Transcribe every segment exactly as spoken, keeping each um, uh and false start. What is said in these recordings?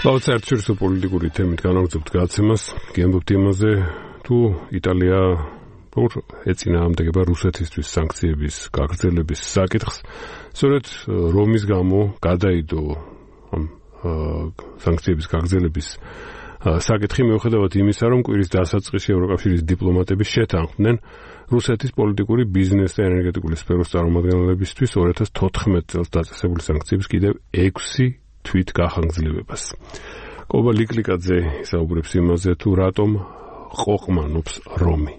Klaudsartsürse პოლიტიკური თემით განაგრძობთ გადაცემას, გიამბობთ იმაზე, თუ იტალია როგორ ეწინააღმდეგება რუსეთისთვის სანქციების გაგრძელების საკითხს. სწორედ რომის გამო გადაიდო ამ სანქციების გაგრძელების საკითხი მიუხედავად იმისა, რომ კვირის დასაწყისში ევროკავშირის დიპლომატები შეთანხმდნენ რუსეთის პოლიტიკური ბიზნეს და ენერგეტიკული სფეროს წარმომადგენლებისთვის ორი ათას თოთხმეტ წელს დაწესებული სანქციების კიდევ ექვსი თვით გახანგრძლივებას. კობა ლიკლიკაძე ისაუბრებს იმაზე, თუ რატომ ყოყმანობს რომი.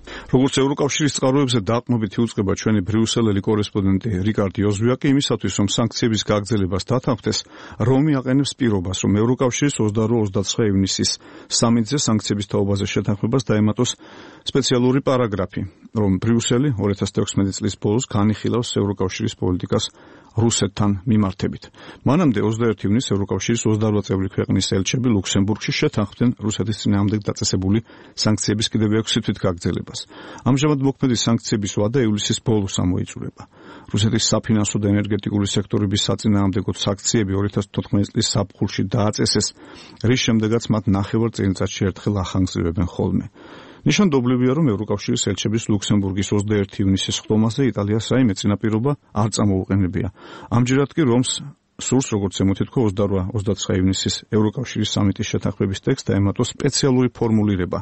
როგორც ევროკავშირის წყაროებზე დაყრდნობით იუწყება ჩვენი ბრიუსელელი კორესპონდენტი რიკარდ იოზვიაკი იმისათვის, რომ სანქციების გაგრძელებას დათანხმდეს, რომი აყენებს პირობას, რომ ევროკავშირის ოცდაორი ოცდაცხრა ივნისის სამიტზე სანქციების თაობაზე შეთანხმებას დაემატოს სპეციალური პარაგრაფი, რომ ბრიუსელი ორი ათას თექვსმეტი წლის ბოლოს განიხილავს ევროკავშირის პოლიტიკას რუსეთთან მიმართებით. მანამდე ოცდაერთი ივნისს ევროკავშირის ოცდარვა წევრი ქვეყნის ელჩები ლუქსემბურგში შეთანხმდნენ რუსეთის წინააღმდეგ დაწესებული სანქციების კიდევ ექვსი თვით გაგრძელებას. ამჟამად მოქმედი სანქციების ვადა ივლისის ბოლოს ამოიწურება. რუსეთის საფინანსო და ენერგეტიკული სექტორების საწინააღმდეგო სანქციები ორი ათას თოთხმეტი წლის ზაფხულში დააწესეს, რის შემდეგაც მათ ნახევარ წელიწადში ერთხელ ახანგრძლივებენ ხოლმე. ნიშანდობლივია, რომ ევროკავშირის ელჩების ლუქსემბურგის ოცდაერთი ივნისის ხდომაზე იტალიას რაიმე წინაპირობა არ წამოუყენებია. ამჯერად კი რომს სურს, როგორც ემოთითქვა ოცდაორი ოცდაცხრა ივნისის ევროკავშირის სამიტის შეთანხმების ტექსტს დაემატოს სპეციალური ფორმულირება,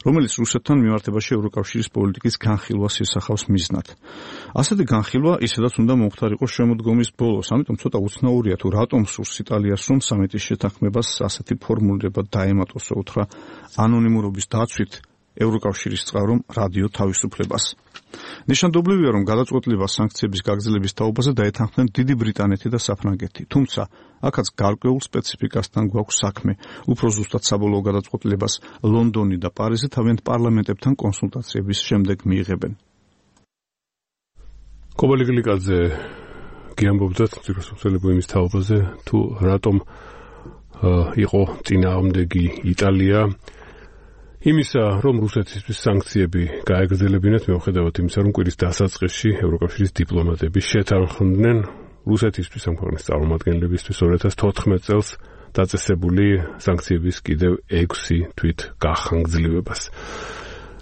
რომელიც რუსეთთან მიმართებაში ევროკავშირის პოლიტიკის განხილვას ისახავს მიზნად. ასეთი განხილვა ისედაც უნდა მომხდარიყო შემოდგომის ბოლოს, ამიტომ ცოტა უცნაურია თუ რატომ სურს იტალიას, რომ სამიტის შეთანხმებას ასეთი ფორმულირება დაემატოს, უთხრა ანონიმურობის დაცვით ევროკავშირის წყარომ რადიო თავისუფლებას. ნიშანდობლივია, რომ გადაწყვეტილება სანქციების გაგრძელების თაობაზე დაეთანხმნენ დიდი ბრიტანეთი და საფრანგეთი, თუმცა აქაც გარკვეულ სპეციფიკასთან გვაქვს საქმე. უფრო ზუსტად საბოლოო გადაწყვეტილებას ლონდონი და პარიზი თავიანთ პარლამენტებთან კონსულტაციების შემდეგ მიიღებენ. კობა ლიკლიკაძე გიამბობდა ციროსოციალურ იმის თაობაზე, თუ რატომ იყო წინააღმდეგი იტალია იმისა, რომ რუსეთისთვის სანქციები გაეგრძელებინათ, მიუხედავად იმისა, რომ კვირის დასაწყისში ევროკავშირის დიპლომატები შეთანხმდნენ რუსეთისთვის ამ ქვეყნის წარმომადგენლებისთვის ორი ათას თოთხმეტ წელს დაწესებული სანქციების კიდევ ექვსი თვით გახანგრძლივებას.